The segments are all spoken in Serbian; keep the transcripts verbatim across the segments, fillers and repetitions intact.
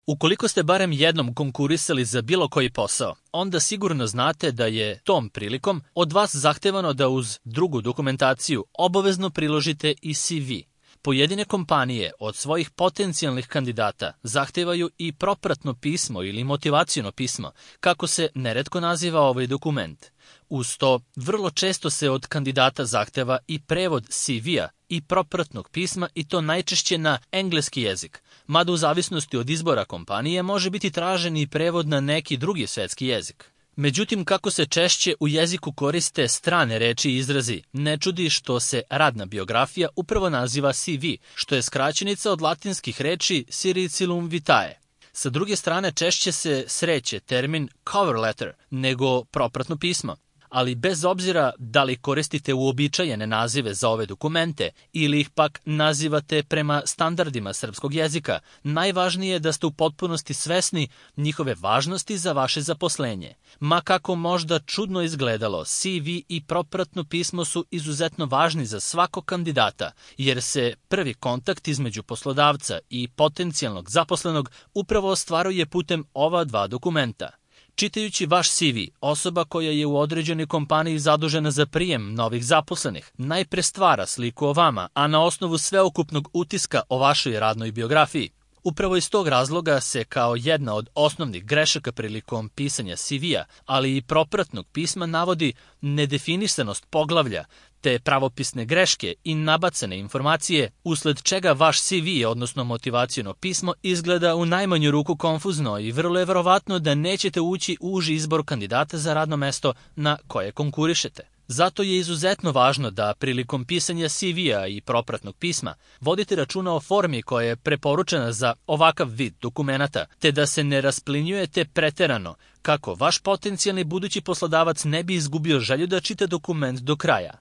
Ukoliko ste barem jednom konkurisali za bilo koji posao, onda sigurno znate da je tom prilikom od vas zahtevano da uz drugu dokumentaciju obavezno priložite i C V. Pojedine kompanije od svojih potencijalnih kandidata zahtevaju i propratno pismo ili motivaciono pismo, kako se neretko naziva ovaj dokument. Uz to, vrlo često se od kandidata zahteva i prevod C V-a i propratnog pisma i to najčešće na engleski jezik, mada u zavisnosti od izbora kompanije može biti tražen i prevod na neki drugi svetski jezik. Međutim, kako se češće u jeziku koriste strane reči i izrazi, ne čudi što se radna biografija upravo naziva C V, što je skraćenica od latinskih reči Curriculum vitae. Sa druge strane, češće se sreće termin cover letter nego propratno pismo. Ali bez obzira da li koristite uobičajene nazive za ove dokumente ili ih pak nazivate prema standardima srpskog jezika, najvažnije je da ste u potpunosti svesni njihove važnosti za vaše zaposlenje. Ma kako možda čudno izgledalo, C V i propratno pismo su izuzetno važni za svakog kandidata, jer se prvi kontakt između poslodavca i potencijalnog zaposlenog upravo ostvaruje putem ova dva dokumenta. Čitajući vaš C V, osoba koja je u određenoj kompaniji zadužena za prijem novih zaposlenih najpre stvara sliku o vama, a na osnovu sveukupnog utiska o vašoj radnoj biografiji. Upravo iz tog razloga se kao jedna od osnovnih grešaka prilikom pisanja C V-a, ali i propratnog pisma navodi nedefinisanost poglavlja, te pravopisne greške i nabacane informacije, usled čega vaš C V, odnosno motivaciono pismo, izgleda u najmanju ruku konfuzno i vrlo je verovatno da nećete ući u uži izbor kandidata za radno mesto na koje konkurišete. Zato je izuzetno važno da prilikom pisanja C V-a i propratnog pisma vodite računa o formi koja je preporučena za ovakav vid dokumenata, te da se ne rasplinjujete preterano, kako vaš potencijalni budući poslodavac ne bi izgubio želju da čita dokument do kraja.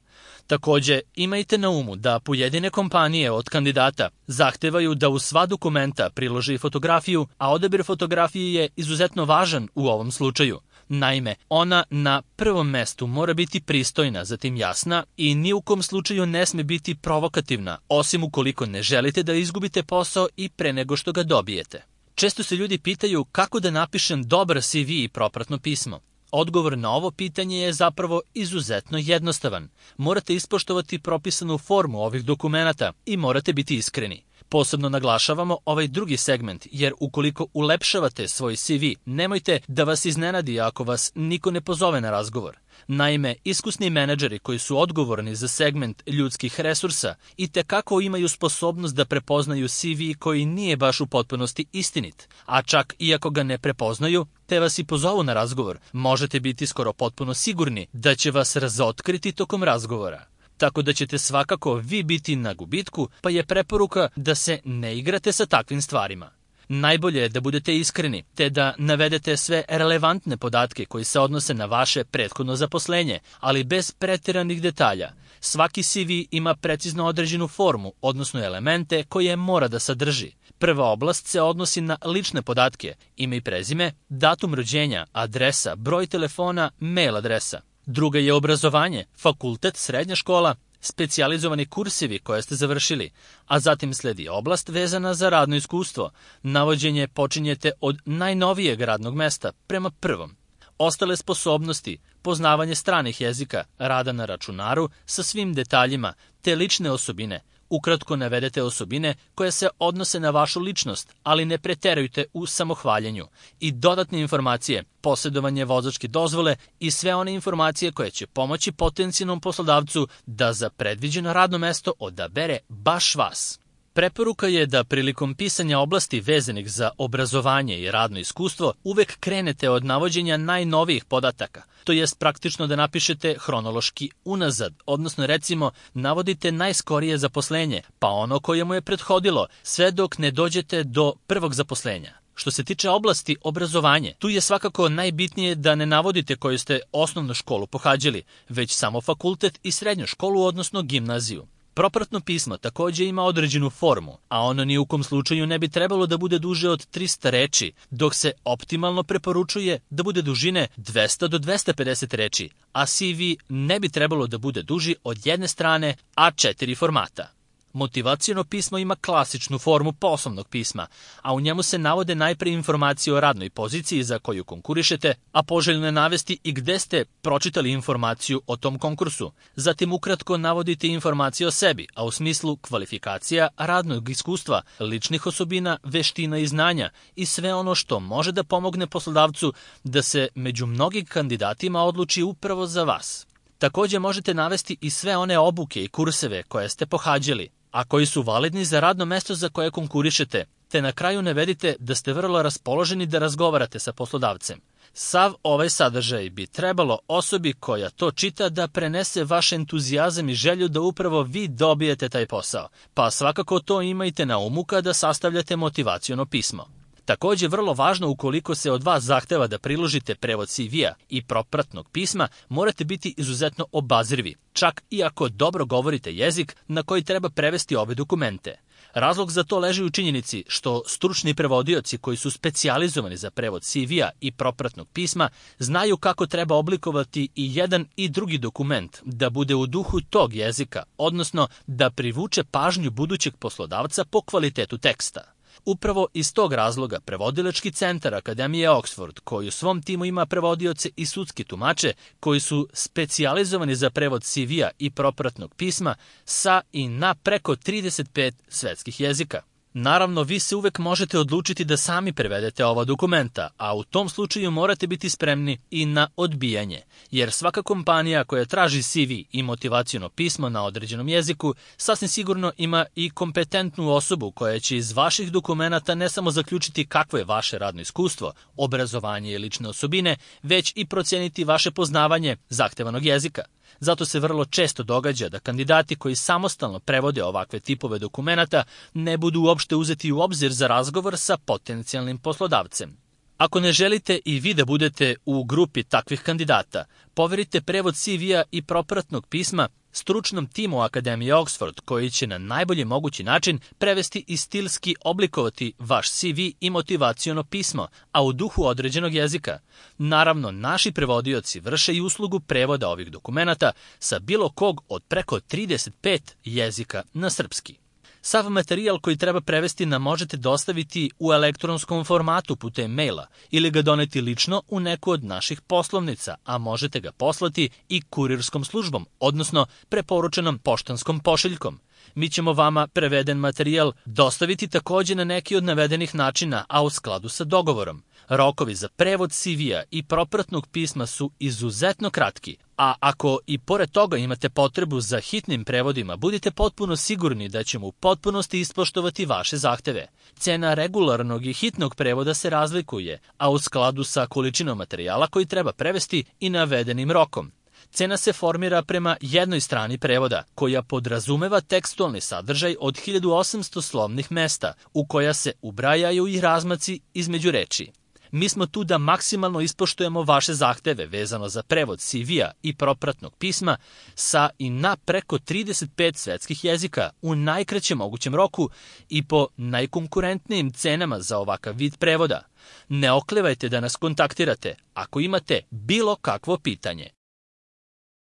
Takođe, imajte na umu da pojedine kompanije od kandidata zahtevaju da u sva dokumenta priloži fotografiju, a odabir fotografije je izuzetno važan u ovom slučaju. Naime, ona na prvom mestu mora biti pristojna, zatim jasna i ni u kom slučaju ne sme biti provokativna, osim ukoliko ne želite da izgubite posao i pre nego što ga dobijete. Često se ljudi pitaju kako da napišem dobar C V i propratno pismo. Odgovor na ovo pitanje je zapravo izuzetno jednostavan. Morate ispoštovati propisanu formu ovih dokumenata i morate biti iskreni. Posebno naglašavamo ovaj drugi segment, jer ukoliko ulepšavate svoj C V, nemojte da vas iznenadi ako vas niko ne pozove na razgovor. Naime, iskusni menadžeri koji su odgovorni za segment ljudskih resursa i tekako imaju sposobnost da prepoznaju C V koji nije baš u potpunosti istinit, a čak i ako ga ne prepoznaju, te vas i pozovu na razgovor, možete biti skoro potpuno sigurni da će vas razotkriti tokom razgovora. Tako da ćete svakako vi biti na gubitku, pa je preporuka da se ne igrate sa takvim stvarima. Najbolje je da budete iskreni, te da navedete sve relevantne podatke koji se odnose na vaše prethodno zaposlenje, ali bez preteranih detalja. Svaki C V ima precizno određenu formu, odnosno elemente koje mora da sadrži. Prva oblast se odnosi na lične podatke, ime i prezime, datum rođenja, adresa, broj telefona, mail adresa. Druga je obrazovanje, fakultet, srednja škola, specijalizovani kursevi koje ste završili, a zatim sledi oblast vezana za radno iskustvo. Navođenje počinjete od najnovijeg radnog mesta prema prvom. Ostale sposobnosti, poznavanje stranih jezika, rada na računaru sa svim detaljima, te lične osobine. Ukratko navedete osobine koje se odnose na vašu ličnost, ali ne preterujte u samohvaljenju. I dodatne informacije, posjedovanje vozačke dozvole i sve one informacije koje će pomoći potencijalnom poslodavcu da za predviđeno radno mesto odabere baš vas. Preporuka je da prilikom pisanja oblasti vezanih za obrazovanje i radno iskustvo uvek krenete od navođenja najnovijih podataka, to jest praktično da napišete hronološki unazad, odnosno recimo navodite najskorije zaposlenje, pa ono koje mu je prethodilo, sve dok ne dođete do prvog zaposlenja. Što se tiče oblasti obrazovanje, tu je svakako najbitnije da ne navodite koju ste osnovnu školu pohađali, već samo fakultet i srednju školu, odnosno gimnaziju. Propratno pismo takođe ima određenu formu, a ono ni u kom slučaju ne bi trebalo da bude duže od trista reči, dok se optimalno preporučuje da bude dužine dvesta do dvesta pedeset reči, a C V ne bi trebalo da bude duži od jedne strane A četiri formata. Motivaciono pismo ima klasičnu formu poslovnog pisma, a u njemu se navode najpre informacije o radnoj poziciji za koju konkurišete, a poželjno je navesti i gde ste pročitali informaciju o tom konkursu. Zatim ukratko navodite informacije o sebi, a u smislu kvalifikacija, radnog iskustva, ličnih osobina, veština i znanja i sve ono što može da pomogne poslodavcu da se među mnogim kandidatima odluči upravo za vas. Takođe možete navesti i sve one obuke i kurseve koje ste pohađali, a koji su validni za radno mesto za koje konkurišete, te na kraju navedite da ste vrlo raspoloženi da razgovarate sa poslodavcem. Sav ovaj sadržaj bi trebalo osobi koja to čita da prenese vaš entuzijazam i želju da upravo vi dobijete taj posao, pa svakako to imajte na umu kada sastavljate motivaciono pismo. Takođe, vrlo važno, ukoliko se od vas zahteva da priložite prevod C V-a i propratnog pisma, morate biti izuzetno obazrivi, čak i ako dobro govorite jezik na koji treba prevesti ove dokumente. Razlog za to leži u činjenici što stručni prevodioci koji su specijalizovani za prevod C V-a i propratnog pisma znaju kako treba oblikovati i jedan i drugi dokument da bude u duhu tog jezika, odnosno da privuče pažnju budućeg poslodavca po kvalitetu teksta. Upravo iz tog razloga Prevodilački centar Akademije Oxford, koji u svom timu ima prevodioce i sudski tumače koji su specijalizovani za prevod C V-a i propratnog pisma sa i na preko trideset pet svetskih jezika. Naravno, vi se uvek možete odlučiti da sami prevedete ova dokumenta, a u tom slučaju morate biti spremni i na odbijanje, jer svaka kompanija koja traži C V i motivaciono pismo na određenom jeziku sasvim sigurno ima i kompetentnu osobu koja će iz vaših dokumenata ne samo zaključiti kakvo je vaše radno iskustvo, obrazovanje i lične osobine, već i proceniti vaše poznavanje zahtevanog jezika. Zato se vrlo često događa da kandidati koji samostalno prevode ovakve tipove dokumenata ne budu uopšte uzeti u obzir za razgovor sa potencijalnim poslodavcem. Ako ne želite i vi da budete u grupi takvih kandidata, poverite prevod C V-a i propratnog pisma stručnom timu Akademije Oxford, koji će na najbolji mogući način prevesti i stilski oblikovati vaš C V i motivaciono pismo, a u duhu određenog jezika. Naravno, naši prevodioci vrše i uslugu prevoda ovih dokumenata sa bilo kog od preko trideset pet jezika na srpski. Sav materijal koji treba prevesti nam možete dostaviti u elektronskom formatu putem maila ili ga doneti lično u neku od naših poslovnica, a možete ga poslati i kurirskom službom, odnosno preporučenom poštanskom pošiljkom. Mi ćemo vama preveden materijal dostaviti takođe na neki od navedenih načina, a u skladu sa dogovorom. Rokovi za prevod C V-a i propratnog pisma su izuzetno kratki, a ako i pored toga imate potrebu za hitnim prevodima, budite potpuno sigurni da ćemo u potpunosti ispoštovati vaše zahteve. Cena regularnog i hitnog prevoda se razlikuje, a u skladu sa količinom materijala koji treba prevesti i navedenim rokom. Cena se formira prema jednoj strani prevoda, koja podrazumeva tekstualni sadržaj od hiljadu osamsto slovnih mesta, u koja se ubrajaju i razmaci između reči. Mi smo tu da maksimalno ispoštujemo vaše zahteve vezano za prevod C V-a i propratnog pisma sa i na preko trideset pet svetskih jezika u najkraćem mogućem roku i po najkonkurentnijim cenama za ovakav vid prevoda. Ne oklevajte da nas kontaktirate ako imate bilo kakvo pitanje.